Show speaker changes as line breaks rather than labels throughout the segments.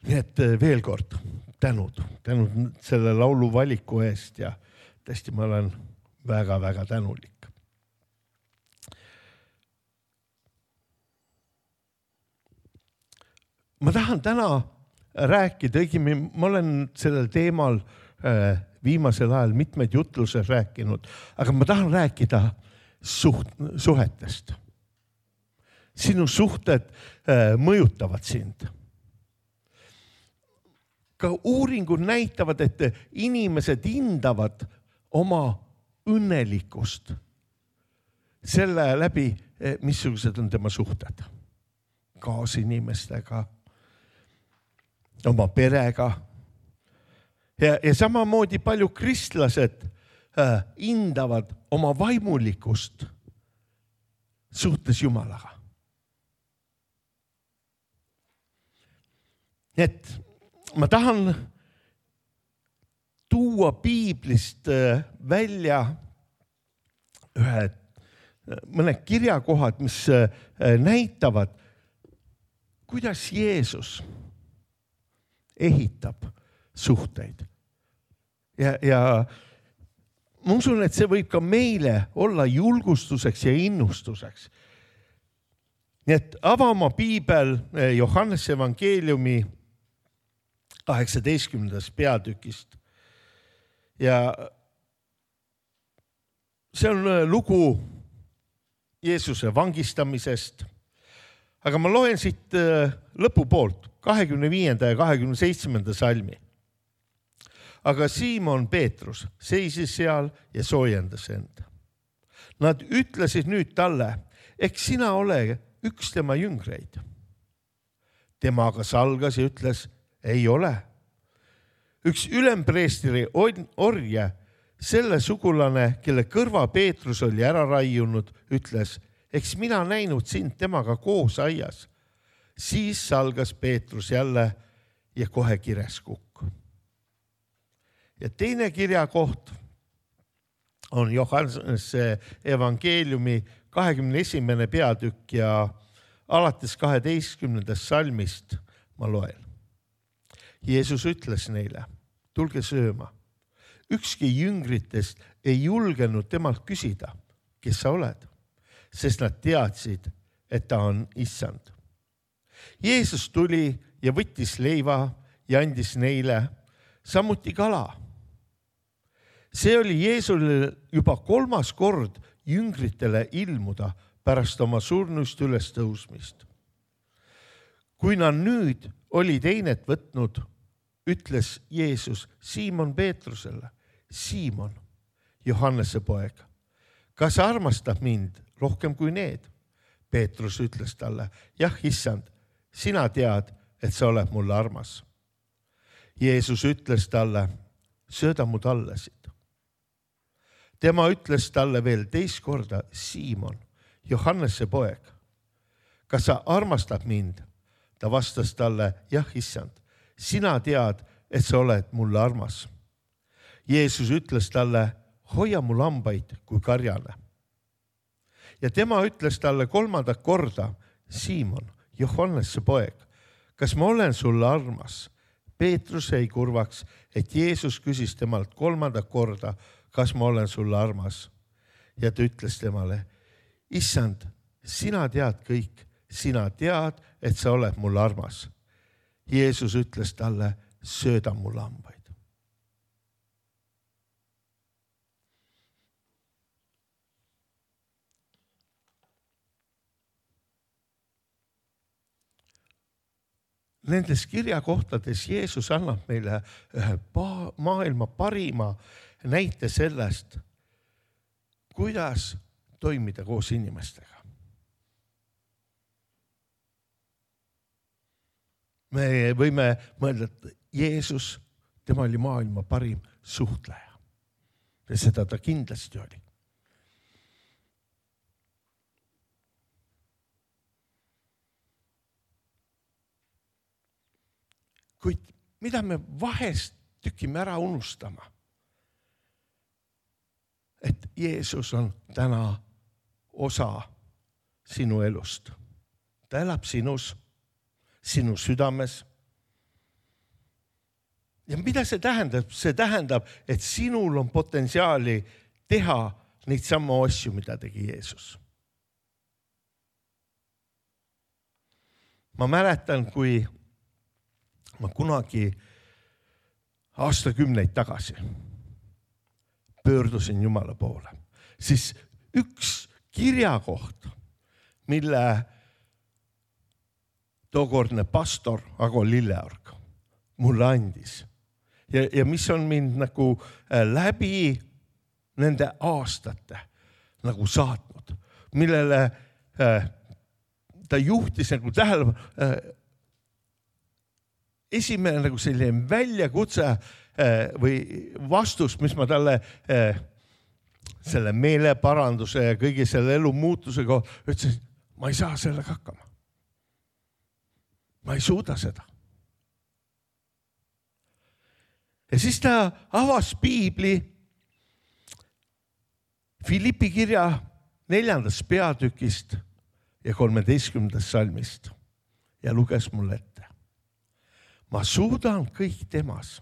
Nii et veel kord tänud selle laulu valiku eest ja tõesti ma olen väga-väga tänulik. Ma tahan täna rääkida, õigemini ma olen sellel teemal viimasel ajal mitmeid jutluses rääkinud, aga ma tahan rääkida suhetest. Sinu suhted mõjutavad sind. Ka uuringud näitavad, et inimesed hindavad oma õnnelikkust selle läbi, missugused on tema suhted. Kaasinimestega, oma perega. Ja samamoodi palju kristlased hindavad oma vaimulikkust suhtes Jumalaga. Et ma tahan tuua piiblist välja mõned kirjakohad, mis näitavad, kuidas Jeesus ehitab suhteid. Ja ma usun, et see võib ka meile olla julgustuseks ja innustuseks. Nii et ava oma piibel Johannese evangeeliumi 18. peatükist. Ja see on lugu Jeesuse vangistamisest. Aga ma loen siit lõpupoolt 25. ja 27. salmi. Aga Siimon Peetrus seisis seal ja soojendas enda. Nad ütlesid nüüd talle, eks sina ole üks tema jüngreid. Tema aga salgas ja ütles, ei ole. Üks ülempreestri orje, selle sugulane, kelle kõrva Peetrus oli ära raiunud, ütles, eks mina näinud sind temaga koos aias. Siis salgas Peetrus jälle ja kohe kires kukk. Ja teine kirjakoht on Johannese evangeeliumi 21. peatükk ja alates 12. salmist ma loen. Jeesus ütles neile, tulge sööma. Ükski jüngritest ei julgenud temalt küsida, kes sa oled, sest nad teadsid, et ta on issand. Jeesus tuli ja võttis leiva ja andis neile samuti kala. See oli Jeesusele juba 3. kord jüngritele ilmuda pärast oma surnuist üles tõusmist. Kui nad nüüd olid einet võtnud, ütles Jeesus Siimon Peetrusele, Siimon, Johannese poeg, kas armastab mind rohkem kui need? Peetrus ütles talle, jah, issand, sina tead, et sa oled mulle armas. Jeesus ütles talle, sööda mu tallesid. Tema ütles talle veel teist korda, Siimon, Johannese poeg, kas sa armastad mind? Ta vastas talle, jah, issand, sina tead, et sa oled mulle armas. Jeesus ütles talle, hoia mu lambaid kui karjane. Ja tema ütles talle 3. korda, Siimon, Johannese poeg, kas ma olen sulle armas? Peetrus jäi kurvaks, et Jeesus küsis temalt 3. korda, kas ma olen sulle armas? Ja ta ütles temale, issand, sina tead kõik, sina tead, et sa oled mulle armas. Jeesus ütles talle, sööda mu lambaid. Nendes kirjakohtades Jeesus annab meile maailma parima näite sellest, kuidas toimida koos inimestega. Me võime mõelda, et Jeesus, tema oli maailma parim suhtleja. Ja seda ta kindlasti oli. Kuid mida me vahest tükime ära unustama? Et Jeesus on täna osa sinu elust. Ta elab sinus, sinu südames. Ja mida see tähendab? See tähendab, et sinul on potentsiaali teha neid samu asju, mida tegi Jeesus. Ma mäletan, kui ma kunagi aastakümneid tagasi pöördusin Jumala poole, siis üks kirjakoht, mille tookordne pastor Ago Lilleorg mulle andis ja mis on mind nagu läbi nende aastate nagu saatnud, millele ta juhtis nagu tähelepanu. Esimene nagu selline väljakutse või vastus, mis ma talle selle meeleparanduse ja kõigi selle elu muutusega ütlesin, ma ei saa sellega hakkama. Ma ei suuda seda. Ja siis ta avas piibli Filippi kirja 4. peatükist ja 13. salmist ja luges mulle ette. Ma suudan kõik temas,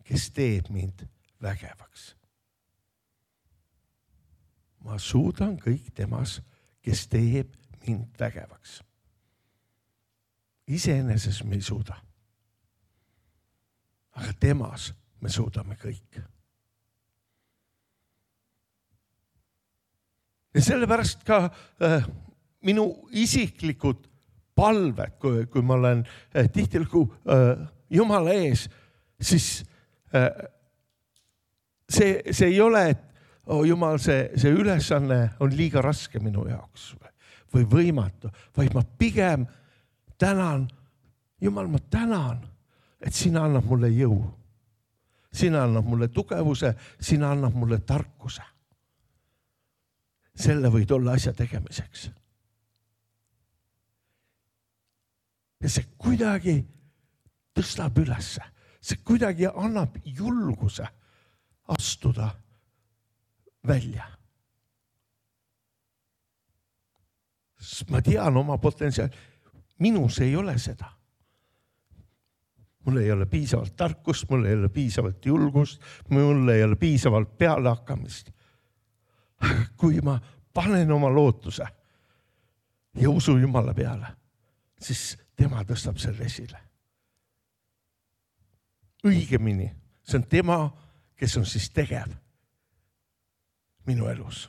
kes teeb mind vägevaks. Ma suudan kõik temas, kes teeb mind vägevaks. Iseenesest me ei suuda. Aga temas me suudame kõik. Ja sellepärast ka minu isiklikud palved, kui ma olen tihtilugu Jumala ees, siis see ei ole, et Jumal, see ülesanne on liiga raske minu jaoks või võimatu, vaid ma pigem tänan, Jumal, ma tänan, et sina annab mulle jõu. Sina annab mulle tugevuse, sina annab mulle tarkuse. Selle võid olla asja tegemiseks. Ja see kuidagi tõstab ülesse. See kuidagi annab julguse astuda välja. Ma tean oma potentsiaali. Minus ei ole seda. Mul ei ole piisavalt tarkust, mul ei ole piisavalt julgust, mul ei ole piisavalt pealehakkamist. Kui ma panen oma lootuse ja usu Jumala peale, siis tema tõstab selle esile. Õigemini, see on tema, kes on siis tegev minu elus.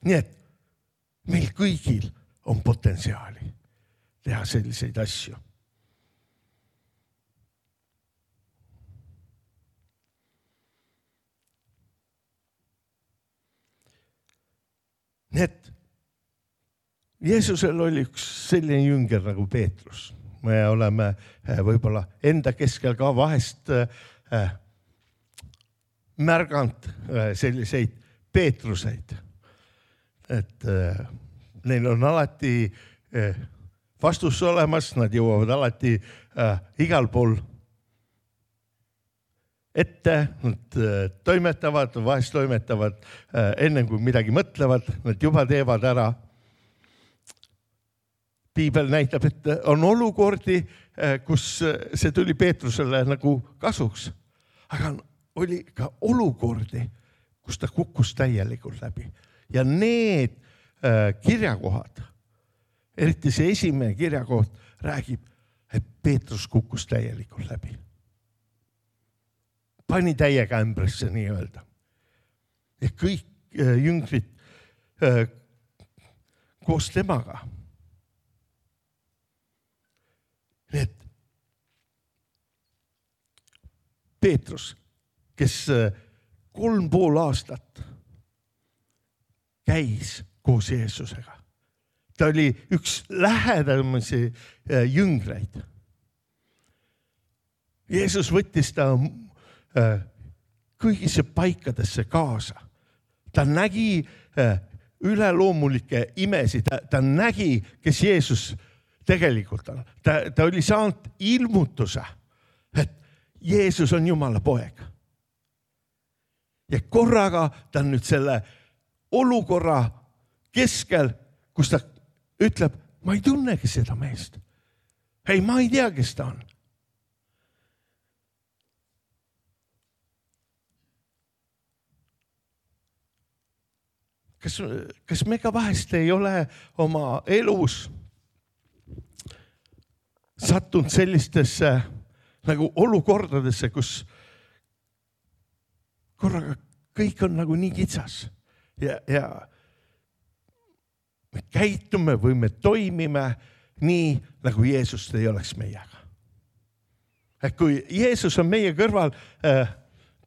Nii et meil kõigil on potentsiaali teha selliseid asju. Nii et Jeesusel oli üks selline jünger nagu Peetrus. Me oleme võib-olla enda keskel ka vahest märganud selliseid Peetruseid. Et neil on alati vastus olemas, nad jõuavad alati igal pool ette, nad toimetavad, vahest toimetavad enne kui midagi mõtlevad, nad juba teevad ära. Piibel näitab, et on olukordi, kus see tuli Peetrusele nagu kasuks. Aga oli ka olukordi, kus ta kukkus täielikult läbi. Ja need kirjakohad, eriti see esimene kirjakoht räägib, et Peetrus kukkus täielikult läbi. Pani täiega ämbresse nii öelda. Ja kõik jüngrid koos temaga. Need Peetrus, kes 3,5 aastat käis koos Jeesusega. Ta oli üks lähedamisi jüngreid. Jeesus võttis ta kõigisse paikadesse kaasa. Ta nägi üleloomulikke imesid. Ta nägi, kes Jeesus tegelikult on. Ta oli saanud ilmutuse, et Jeesus on Jumala poeg. Ja korraga ta on nüüd selle olukorra keskel, kus ta ütleb, ma ei tunnegi seda meest. Ei, ma ei tea, kes ta on. kas me ka vahest ei ole oma elus sattunud sellistesse nagu olukordadesse, kus korraga kõik on nagu nii kitsas ja me käitume või me toimime nii, nagu Jeesust ei oleks meiega. Et kui Jeesus on meie kõrval,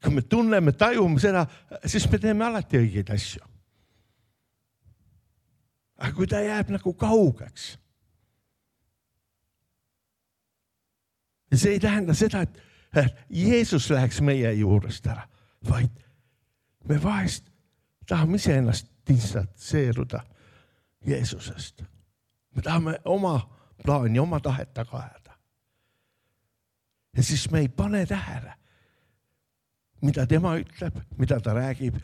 kui me tunneme, tajume seda, siis me teeme alati õigeid asju. Aga kui ta jääb nagu kaugeks, ja see ei tähenda seda, et Jeesus läheks meie juurest ära, vaid me vahest tahame ise ennast distantseeruda Jeesusest. Me tahame oma plaani, oma tahet taga ajada. Ja siis me ei pane tähele, mida tema ütleb, mida ta räägib.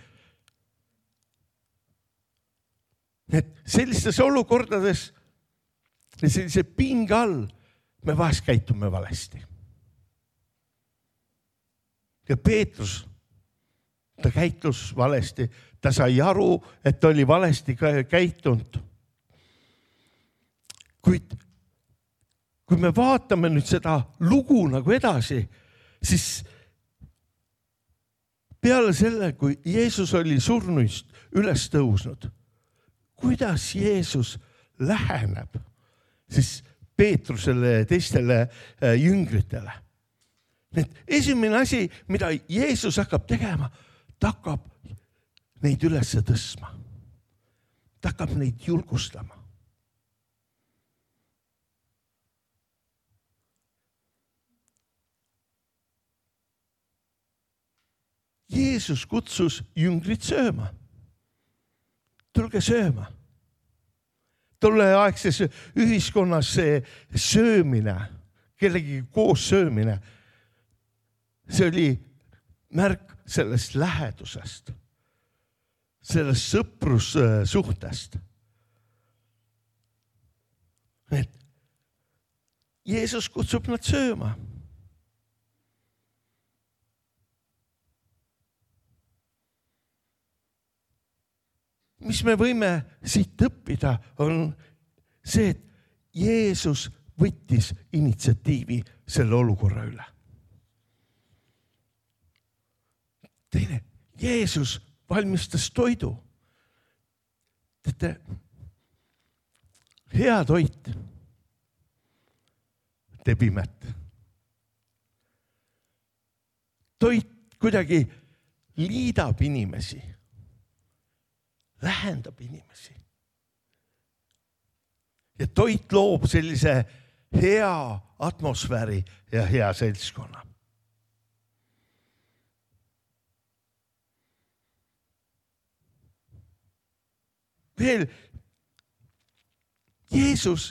Et sellistes olukordades ja sellise pinge all me vahest käitume valesti. Ja Peetrus, ta käitus valesti, ta sai aru, et ta oli valesti käitunud. Kuid kui me vaatame nüüd seda lugu nagu edasi, siis peale selle, kui Jeesus oli surnuist üles tõusnud, kuidas Jeesus läheneb siis Peetrusele ja teistele jüngritele. Esimene asi, mida Jeesus hakkab tegema, ta hakkab neid üles tõstma. Ta hakkab neid julgustama. Jeesus kutsus jüngrid sööma. Tulge sööma. Tolleaegses ühiskonnas see söömine, kellegi koos söömine, see oli märk sellest lähedusest, sellest sõprussuhtest. Et Jeesus kutsub nad sööma. Mis me võime siit õppida, on see, et Jeesus võttis initsiatiivi selle olukorra üle. Teine, Jeesus valmistas toidu. Teate, hea toit teeb imet. Toit kuidagi liidab inimesi. Lähendab inimesi. Ja toit loob sellise hea atmosfääri ja hea seltskonna. Veel, Jeesus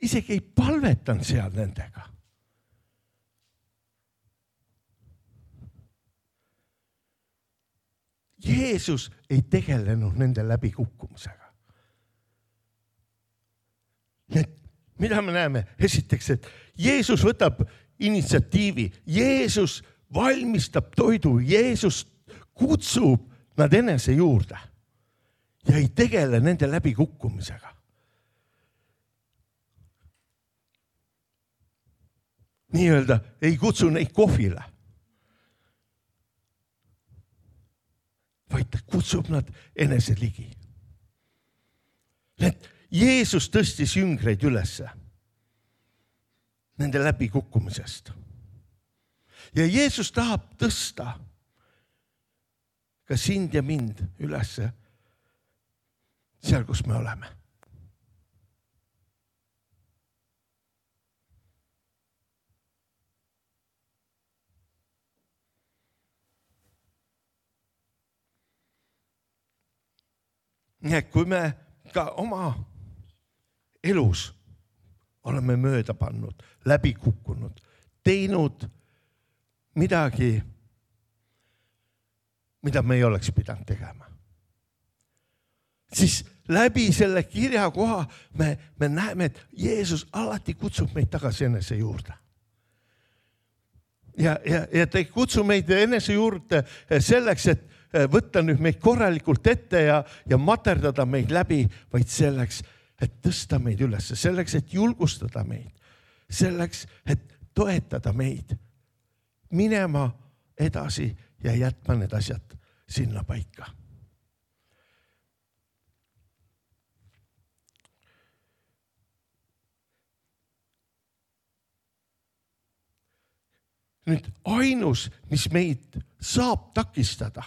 isegi ei palvetanud seal nendega. Jeesus ei tegelenud nende läbikukkumisega. Mida me näeme? Esiteks, et Jeesus võtab initsiatiivi. Jeesus valmistab toidu. Jeesus kutsub nad enese juurde ja ei tegele nende läbikukkumisega. Nii-öelda ei kutsu neid kohvile. Vaid ta kutsub nad enese ligi. Jeesus tõstis jüngreid ülesse nende läbikukkumisest. Ja Jeesus tahab tõsta ka sind ja mind ülesse seal, kus me oleme. Nii et kui me ka oma elus oleme mööda pannud, läbi kukkunud, teinud midagi, mida me ei oleks pidanud tegema, siis läbi selle kirjakoha me näeme, et Jeesus alati kutsub meid tagasi enese juurde. Ja ta ei kutsu meid enese juurde selleks, võtta nüüd meid korralikult ette ja materdada meid läbi, vaid selleks, et tõsta meid üles, selleks, et julgustada meid, selleks, et toetada meid minema edasi ja jätma need asjad sinna paika. Nüüd ainus, mis meid saab takistada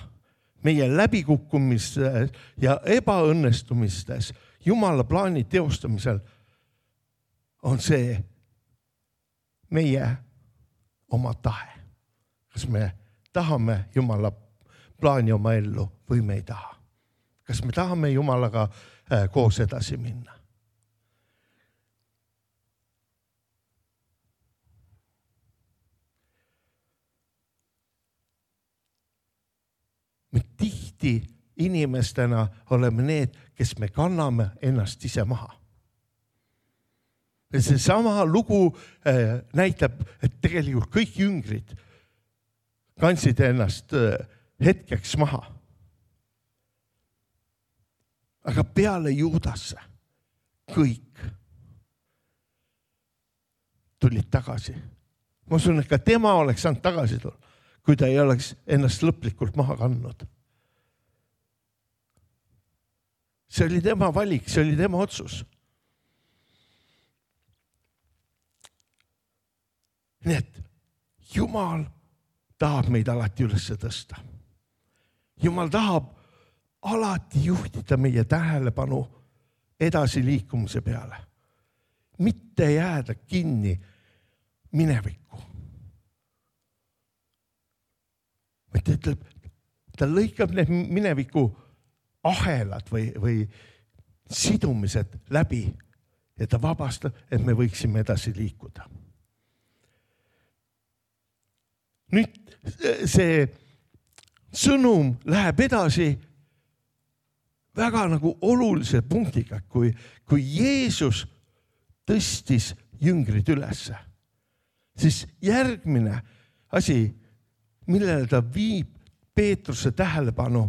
meie läbikukkumistes ja ebaõnnestumistes Jumala plaani teostamisel, on see meie oma tahe. Kas me tahame Jumala plaani oma ellu või me ei taha? Kas me tahame Jumalaga koos edasi minna? Me tihti inimestena oleme need, kes me kanname ennast ise maha. Ja see sama lugu näitab, et tegelikult kõik jüngrid kandsid ennast hetkeks maha. Aga peale Juudasse kõik tulid tagasi. Ma usun, et ka tema oleks saanud tagasi tulla, kui ta ei oleks ennast lõplikult maha kandnud. See oli tema valik, see oli tema otsus. Nii et Jumal tahab meid alati üles tõsta. Jumal tahab alati juhtida meie tähelepanu edasi liikumise peale. Mitte jääda kinni minevikku. Ta lõikab need mineviku ahelad või sidumised läbi ja ta vabastab, et me võiksime edasi liikuda. Nüüd see sõnum läheb edasi väga nagu olulise punktiga, kui Jeesus tõstis jüngrid ülesse, siis järgmine asi, millele ta viib Peetruse tähelepanu,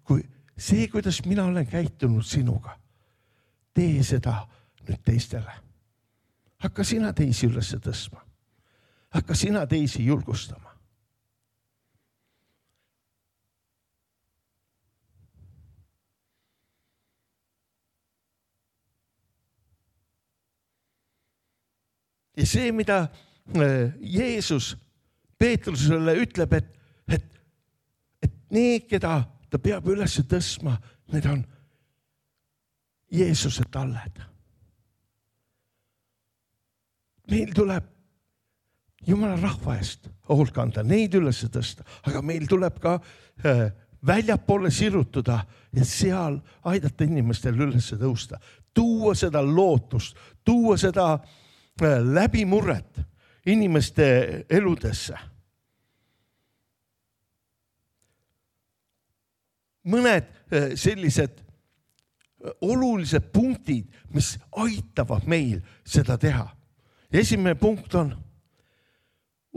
kui see, kuidas mina olen käitunud sinuga, tee seda nüüd teistele. Hakka sina teisi üles tõstma. Hakka sina teisi julgustama. Ja see, mida Jeesus Peetrusele ütleb, et need, keda ta peab üles tõstma, need on Jeesuse talled. Meil tuleb Jumala rahva eest hoolt kanda, neid üles tõsta, aga meil tuleb ka väljapoole sirutuda ja seal aidata inimestel üles tõusta. Tuua seda lootust, tuua seda läbimurret inimeste eludesse. Mõned sellised olulised punktid, mis aitavad meil seda teha. Esimene punkt on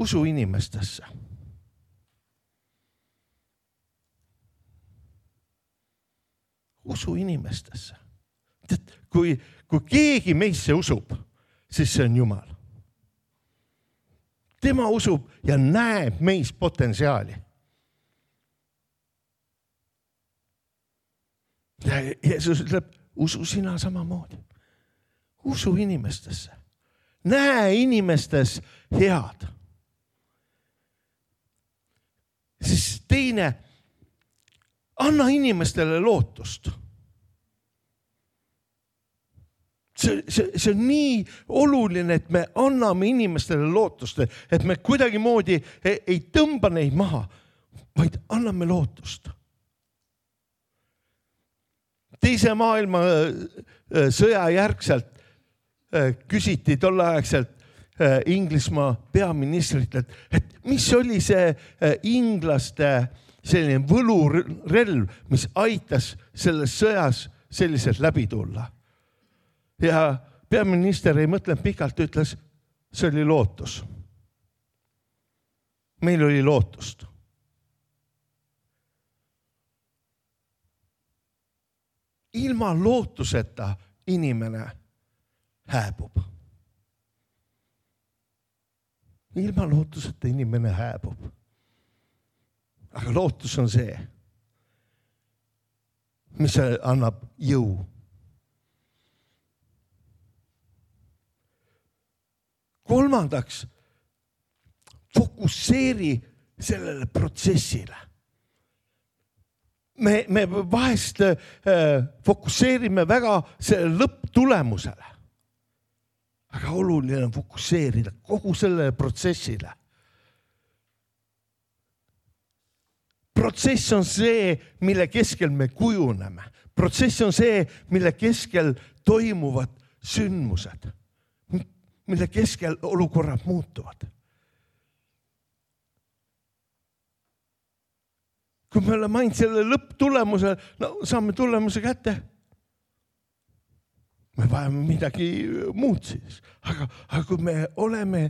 usu inimestesse. Usu inimestesse. Kui keegi meisse usub, siis see on Jumal. Tema usub ja näeb meis potentsiaali. Ja Jeesus ütleb, usu sina samamoodi. Usu inimestesse. Näe inimestes head. Siis teine, anna inimestele lootust. See on nii oluline, et me anname inimestele lootust, et me kuidagi moodi ei tõmba neid maha, vaid anname lootust. Teise maailma sõja järgselt küsiti tolleaegselt Inglismaa peaministrit, et mis oli see inglaste selline võlurelv, mis aitas selles sõjas selliselt läbi tulla. Ja peaminister ei mõtlenud pikalt, ütles, see oli lootus. Meil oli lootust. ilma lootuseta inimene hääbub. Ilma lootuseta inimene hääbub. Aga lootus on see, mis annab jõu. Kolmandaks, fokusseeri sellele protsessile. Me vahest fokusseerime väga selle lõpptulemusele. Aga oluline on fokusseerida kogu sellele protsessile. Protsess on see, mille keskel me kujuneme. Protsess on see, mille keskel toimuvad sündmused, mille keskel olukorrad muutuvad. Kui me oleme ainult selle lõpptulemuse, saame tulemuse kätte. Me vajame midagi muud siis. Aga kui me oleme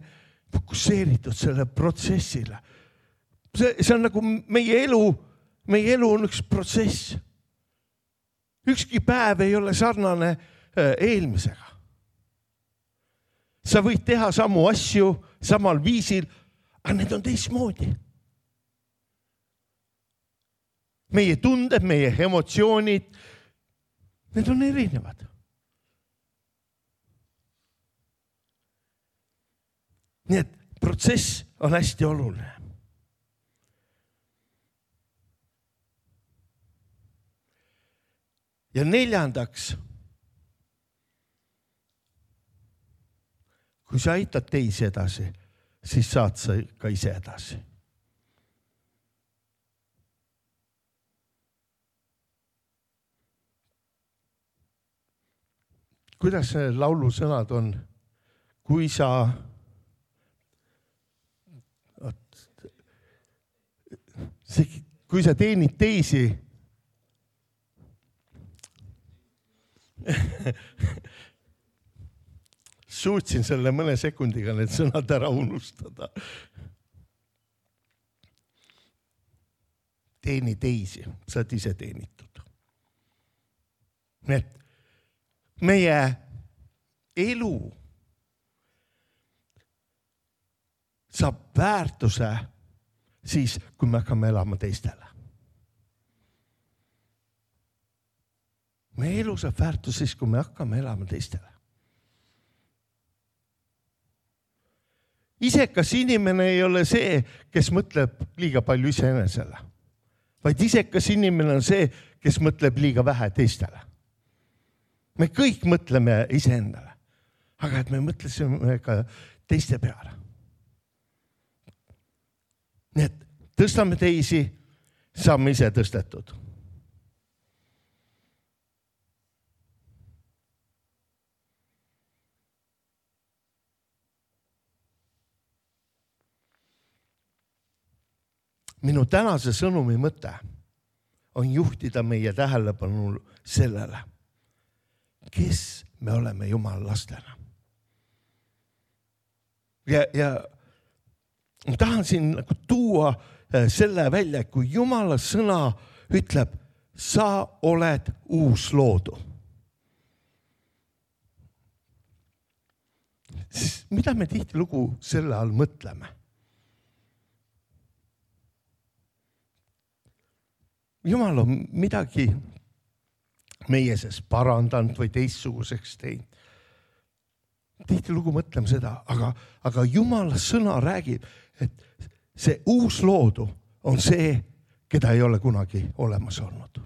fokusseeritud selle protsessile, see on nagu meie elu on üks protsess. Ükski päev ei ole sarnane eelmisega. Sa võid teha samu asju samal viisil, aga need on teistmoodi. Meie tunded, meie emotsioonid, need on erinevad. Nii et protsess on hästi oluline. Ja neljandaks, kui sa aitad teisi edasi, siis saad sa ka ise edasi. Kuidas see laulu sõnad on? Kui sa teenid teisi, suutsin selle mõne sekundiga need sõnad ära unustada. Teeni teisi, sa oled ise teenitud. Need meie elu saab väärtuse siis, kui me hakkame elama teistele. Meie elu saab väärtuse siis, kui me hakkame elama teistele. Isekas inimene ei ole see, kes mõtleb liiga palju iseenesele, vaid isekas inimene on see, kes mõtleb liiga vähe teistele. Me kõik mõtleme iseendale, aga et me mõtlesime ka teiste peale. Nii et tõstame teisi, saame ise tõstetud. Minu tänase sõnumi mõte on juhtida meie tähelepanu sellele, kes me oleme Jumala lastena. Ja ma tahan siin tuua selle välja, kui Jumala sõna ütleb, sa oled uus loodu. Siis mida me tihtilugu selle all mõtleme? Jumal on midagi meie sees parandanud või teistsuguseks teinud. Tihtilugu mõtleme seda, aga Jumala sõna räägib, et see uus loodu on see, keda ei ole kunagi olemas olnud.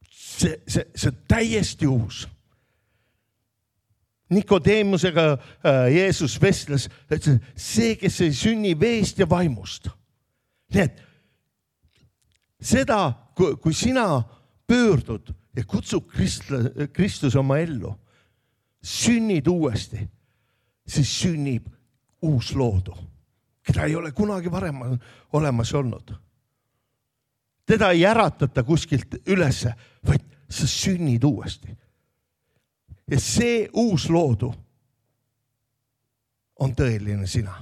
See on täiesti uus. Nikodeemusega Jeesus vestles, et see, kes ei sünni veest ja vaimust. Nii et seda, kui sina pöördud ja kutsub Kristus oma ellu, sünnid uuesti, siis sünnib uus loodu, keda ei ole kunagi varem olemas olnud. Teda ei äratata kuskilt ülesse, vaid sa sünnid uuesti. Ja see uus loodu on tõeline sina.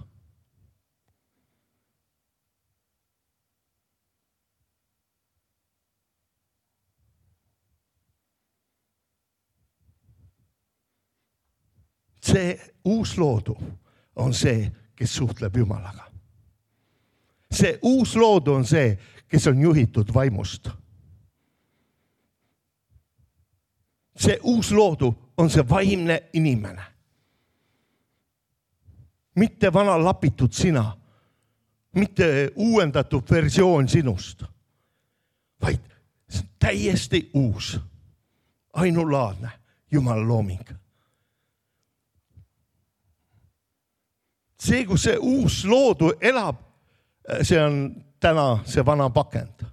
see uus loodu on see, kes suhtleb Jumalaga. See uus loodu on see, kes on juhitud vaimust. See uus loodu on see vaimne inimene. Mitte vana lapitud sina, mitte uuendatud versioon sinust, vaid täiesti uus, ainulaadne Jumala looming. See, kus see uus loodu elab, see on täna see vana pakend.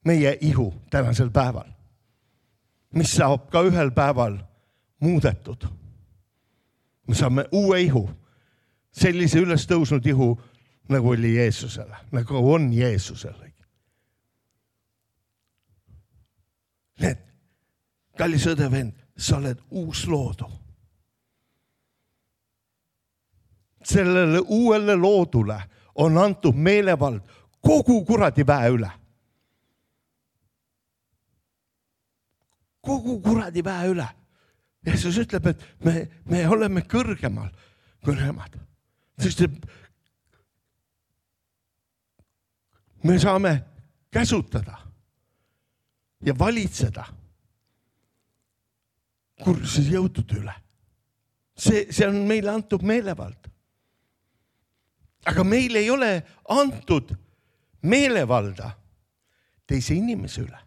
Meie ihu tänasel päeval, mis saab ka ühel päeval muudetud. Me saame uue ihu, sellise üles tõusnud ihu, nagu oli Jeesusele, nagu on Jeesusele. Need, kallis õde vend, sa oled uus loodu. Sellele uuele loodule on antud meelevald kogu kuradi väe üle. Kogu kuradi väe üle. Jeesus ütleb, et me oleme kõrgemal kui nemad. Sest me saame käsutada ja valitseda kursis jõudude üle. See on meile antud meelevald. Aga meil ei ole antud meelevalda teise inimese üle.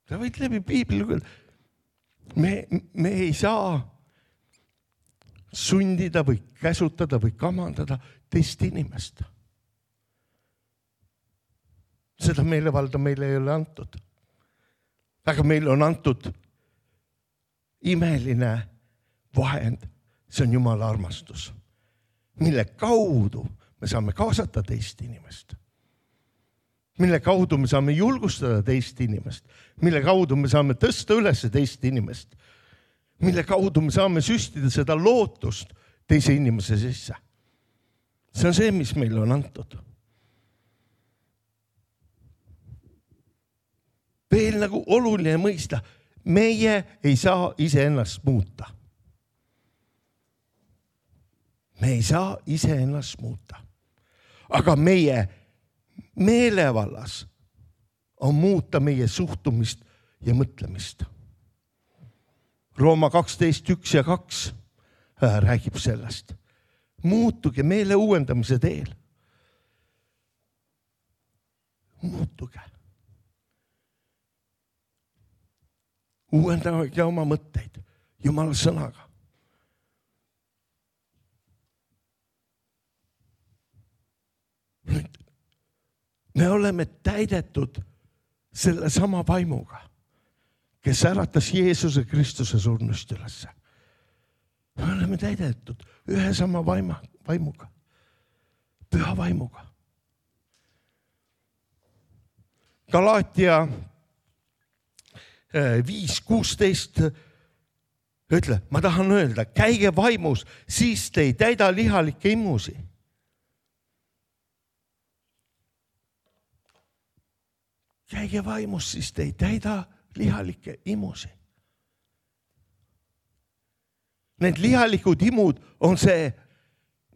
Sa võid läbi piibli küll. Me ei saa sundida või käsutada või kamandada teist inimest. Seda meelevalda meile ei ole antud. Aga meil on antud imeline vahend. See on Jumala armastus, mille kaudu me saame kaasata teist inimest. Mille kaudu me saame julgustada teist inimest. Mille kaudu me saame tõsta üles teist inimest. Mille kaudu me saame süstida seda lootust teise inimese sisse. See on see, mis meile on antud. Veel nagu oluline mõista, meie ei saa iseennast muuta. Me ei saa iseennast muuta. Aga meie meelevallas on muuta meie suhtumist ja mõtlemist. Rooma 12:1 ja 2 räägib sellest. Muutuge meele uuendamise teel. Muutuge. Uuendage oma mõtteid Jumala sõnaga. Me oleme täidetud selle sama vaimuga, kes äratas Jeesuse Kristuse surnust ülesse. Me oleme täidetud ühe sama vaimuga, püha vaimuga. Galaatia 5:16 ütle, ma tahan öelda, käige vaimus, siis te ei täida lihalikke imusi. Käige vaimus, siis te ei täida lihalikke imusi. Need lihalikud imud on see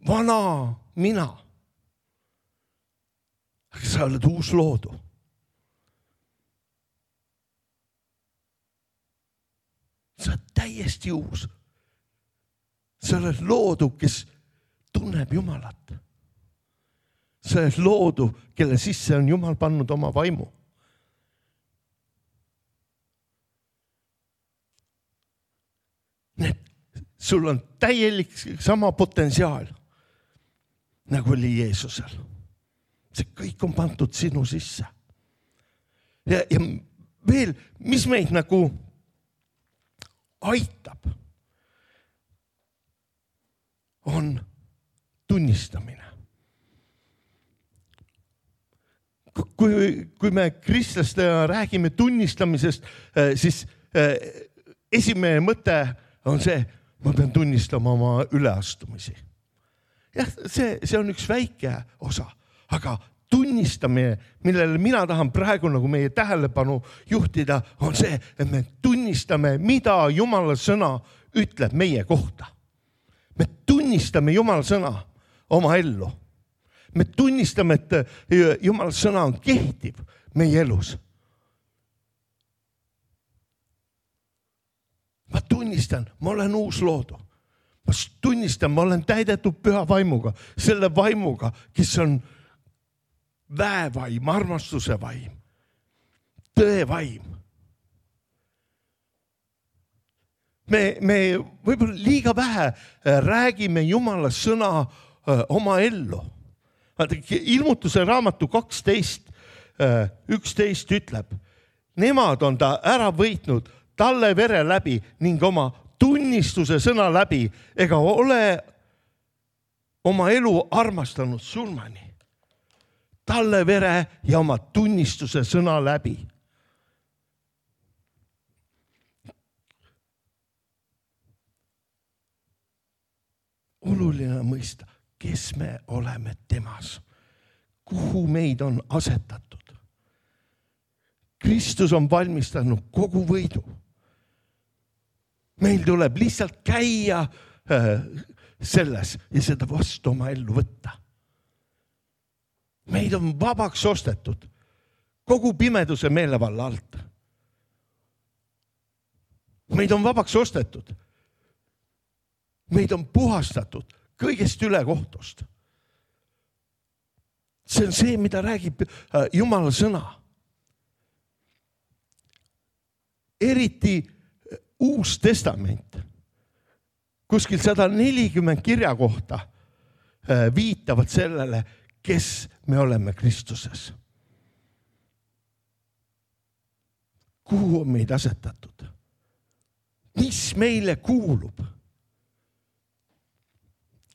vana mina. Aga sa oled uus loodu. Sa oled täiesti uus. Sa oled loodu, kes tunneb Jumalat. Sa oled loodu, kelle sisse on Jumal pannud oma vaimu. Sul on täielik sama potentsiaal, nagu oli Jeesusel. See kõik on pandud sinu sisse. Ja veel, mis meid nagu aitab, on tunnistamine. Kui me kristlastena räägime tunnistamisest, siis esimene mõte on see, ma pean tunnistama oma üleastumisi. Jah, see on üks väike osa, aga tunnistamine, millele mina tahan praegu nagu meie tähelepanu juhtida, on see, et me tunnistame, mida Jumala sõna ütleb meie kohta. Me tunnistame Jumala sõna oma ellu. Me tunnistame, et Jumala sõna on kehtiv meie elus. Ma tunnistan, ma olen uus loodu. Ma tunnistan, ma olen täidetud püha vaimuga, selle vaimuga, kes on väevaim, armastuse vaim, tõe vaim. Me võib-olla liiga vähe räägime Jumala sõna oma ellu. Ilmutuse raamatu 12, 11 ütleb, nemad on ta ära võitnud talle vere läbi ning oma tunnistuse sõna läbi ega ole oma elu armastanud surmani. Talle vere ja oma tunnistuse sõna läbi. Oluline mõista, kes me oleme temas, kuhu meid on asetatud. Kristus on valmistanud kogu võidu. Meil tuleb lihtsalt käia selles ja seda vastu oma ellu võtta. Meid on vabaks ostetud kogu pimeduse meelevalla alt. Meid on vabaks ostetud. Meid on puhastatud kõigest ülekohtust. See on see, mida räägib Jumala sõna. Eriti Uus Testament, kuskil 140 kirja kohta viitavad sellele, kes me oleme Kristuses. Kuhu on meid asetatud? Mis meile kuulub?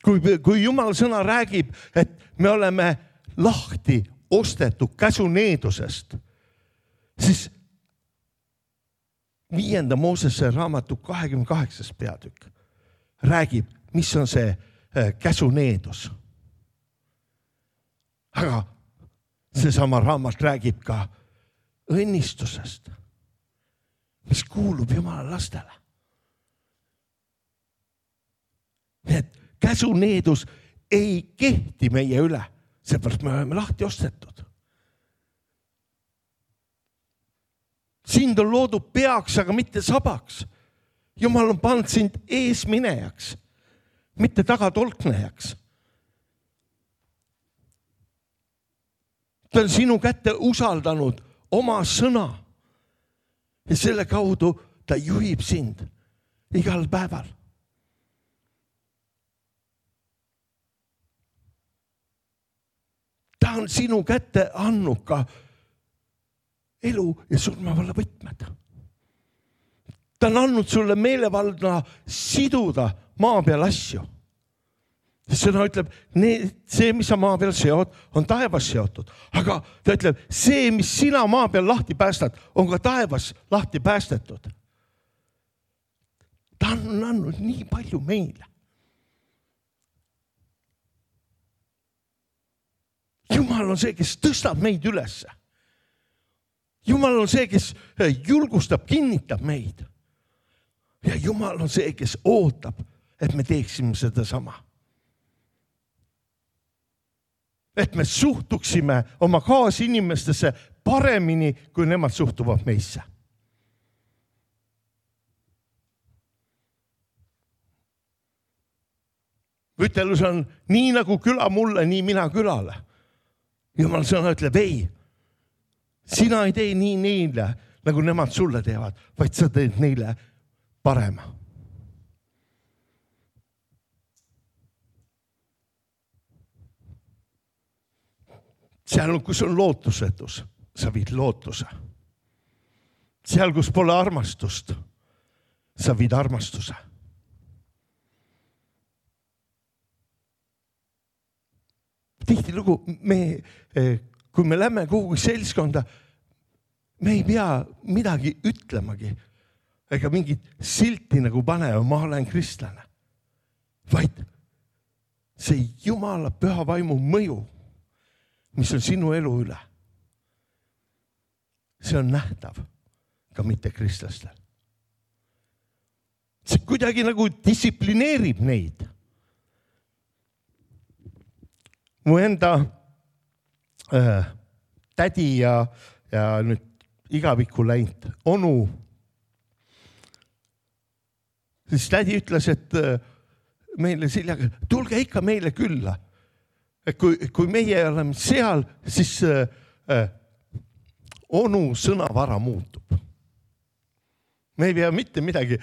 Kui Jumala sõna räägib, et me oleme lahti ostetud käsuneedusest, siis 5. Moosese raamatu 28. peatükk räägib, mis on see käsuneedus. Aga seesama raamat räägib ka õnnistusest, mis kuulub Jumala lastele. Nii et käsuneedus ei kehti meie üle, seepärast me oleme lahti ostetud. Sind on loodud peaks, aga mitte sabaks. Jumal on pannud sind eesminejaks, mitte tagatolknejaks. Ta on sinu kätte usaldanud oma sõna ja selle kaudu ta juhib sind igal päeval. Ta on sinu kätte andnud ka elu ja surmavalla võtmed. Ta on andnud sulle meelevaldna siduda maa peal asju. Sõna ütleb, see, mis sa maa peal seod, on taevas seotud. Aga ta ütleb, see, mis sina maa peal lahti päästad, on ka taevas lahti päästetud. Ta on andnud nii palju meile. Jumal on see, kes tõstab meid üles. Jumal on see, kes julgustab, kinnitab meid. Ja Jumal on see, kes ootab, et me teeksime seda sama. Et me suhtuksime oma kaasinimestesse paremini, kui nemad suhtuvad meisse. Ütelus on nii nagu küla mulle, nii mina külale. Jumal sõna ütleb, ei, sina ei tee nii neile, nagu nemad sulle teevad, vaid sa teed neile parema. Seal, kus on lootusetus, sa viid lootuse. Seal, kus pole armastust, sa viid armastuse. Tihtilugu kui me lähme kuhugi seltskonda, me ei pea midagi ütlemagi ega mingit silti nagu panema, ma olen kristlane. Vaid see Jumala püha vaimu mõju mis on sinu elu üle. See on nähtav ka mitte kristlastel. See kuidagi nagu distsiplineerib neid. Mu enda tädi ja nüüd igavikku läinud onu, siis tädi ütles, et meile Siljaga, tulge ikka meile külla. Et kui meie oleme seal, siis onu sõnavara muutub. Me ei pea mitte midagi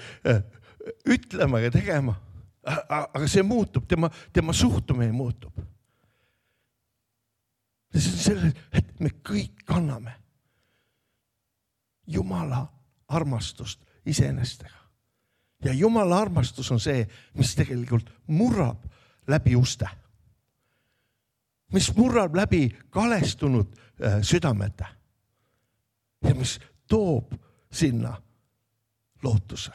ütlema ja tegema, aga see muutub, tema suhtumine muutub. See on selle, et me kõik kanname Jumala armastust iseenestega. Ja Jumala armastus on see, mis tegelikult murrab läbi uste. Mis murrab läbi kalestunud südamete. Ja mis toob sinna lootuse.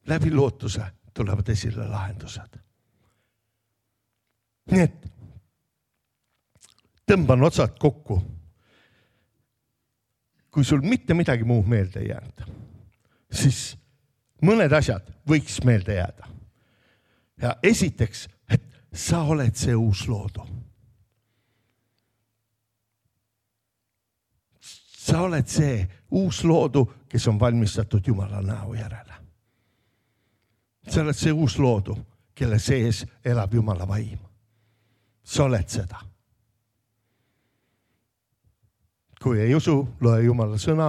Läbi lootuse tulevad esile lahendused. Nii et tõmban otsad kokku. Kui sul mitte midagi muud meelde ei jäänud, siis mõned asjad võiks meelde jääda. Ja esiteks, et sa oled see uus loodu. Sa oled see uus loodu, kes on valmistatud Jumala näo järele. Sa oled see uus loodu, kelle sees elab Jumala vaim. Sa oled seda. Kui ei usu, loe Jumala sõna,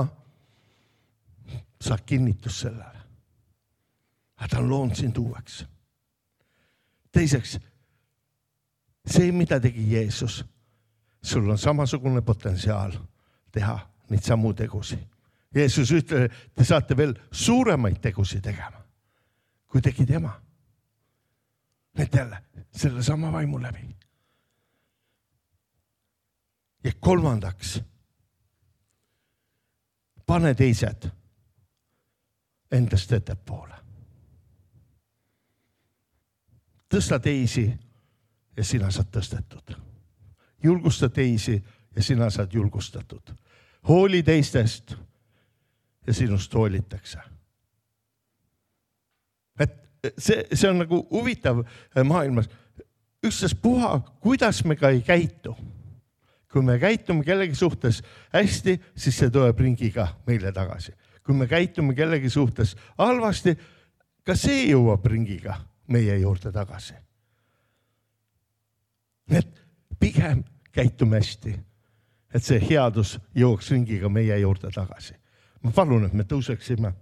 saad kinnitus sellele. Aga ta on loonud sind uueks. Teiseks, see, mida tegi Jeesus, sul on samasugune potentsiaal teha neid samu tegusi. Jeesus ütleb, te saate veel suuremaid tegusi tegema, kui tegi tema. Need jälle, selle sama vaimu läbi. Ja kolmandaks, pane teised endast ettepoole. Tõsta teisi ja sina saad tõstetud. Julgusta teisi ja sina saad julgustatud. Hooli teistest ja sinust hoolitakse. Et see on nagu huvitav maailmas. Ükstas puha, kuidas me ka ei käitu. Kui me käitume kellegi suhtes hästi, siis see tuleb ringiga meile tagasi. Kui me käitume kellegi suhtes halvasti, ka see jõuab ringiga meie juurde tagasi. Et pigem käitume hästi, et see headus jõuaks ringiga meie juurde tagasi. Ma palun, et me tõuseksime.